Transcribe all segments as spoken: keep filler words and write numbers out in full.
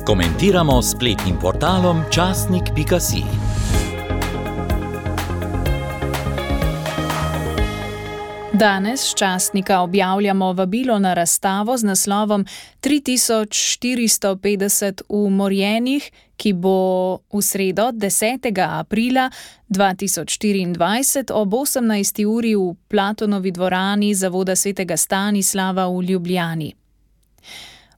Komentiramo s spletnim portalom časnik pika si. Danes s časnika objavljamo vabilo na razstavo z naslovom tri tisoč štiristo petdeset v Morjenih, ki bo v sredo desetega aprila dva tisoč štiriindvajset ob osemnajsti uri v Platonovi dvorani Zavoda svetega Stanislava v Ljubljani.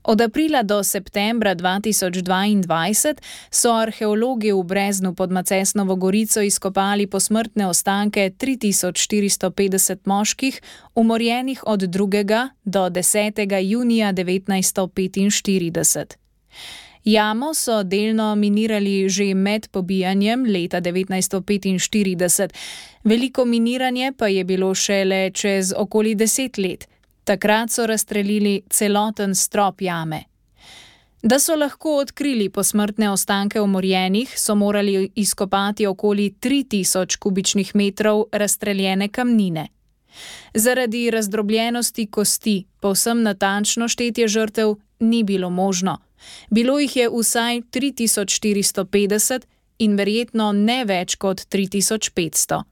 Od aprila do septembra dva tisoč dvaindvajset so arheologi v Breznu pod Macesnovo Gorico izkopali posmrtne ostanke tri tisoč štiristo petdeset moških, umorjenih od drugega do desetega junija devetnajststo petinštirideset. Jamo so delno minirali že med pobijanjem leta devetnajststo petinštirideset, veliko miniranje pa je bilo šele čez okoli deset let. Takrat so razstrelili celoten strop jame. Da so lahko odkrili posmrtne ostanke umorjenih, so morali izkopati okoli tri tisoč kubičnih metrov razstreljene kamnine. Zaradi razdrobljenosti kosti povsem natančno štetje žrtev ni bilo možno. Bilo jih je vsaj tri tisoč štiristo petdeset in verjetno ne več kot tri tisoč petsto.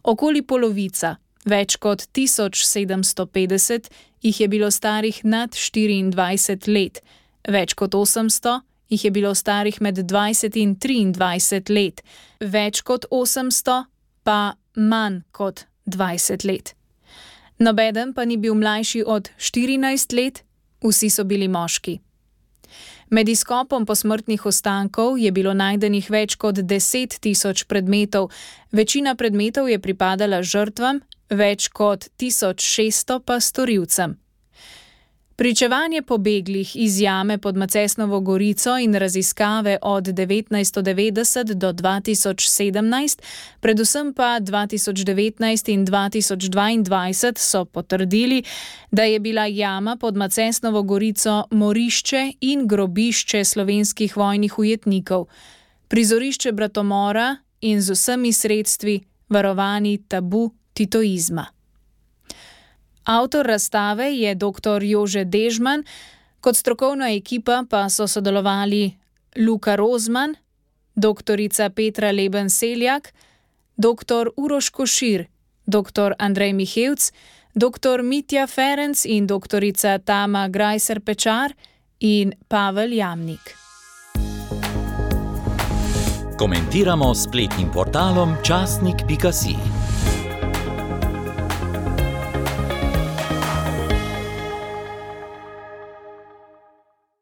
Okoli polovica, več kot tisoč sedemsto petdeset, jih je bilo starih nad štiriindvajset let, več kot osemsto jih je bilo starih med dvajset in triindvajset let, več kot osemsto pa manj kot dvajset let. Nobeden pa ni bil mlajši od štirinajst let, vsi so bili moški. Med izkopom posmrtnih ostankov je bilo najdenih več kot deset tisoč predmetov, večina predmetov je pripadala žrtvam, več kot tisoč šeststo pa storilcem. Pričevanje pobeglih iz jame pod Macesnovo Gorico in raziskave od devetnajststo devetdeset do dva tisoč sedemnajst, predvsem pa dva tisoč devetnajst in dva tisoč dvaindvajset so potrdili, da je bila jama pod Macesnovo Gorico morišče in grobišče slovenskih vojnih ujetnikov, prizorišče bratomora in z vsemi sredstvi varovani tabu titoizma. Avtor razstave je doktor Jože Dežman, kot strokovna ekipa pa so sodelovali Luka Rozman, doktorica Petra Leben Seljak, doktor Uroš Košir, doktor Andrej Mihevc, doktor Mitja Ferenc in doktorica Tama Grajser Pečar in Pavel Jamnik. Komentiramo s spletnim portalom časnik pika si.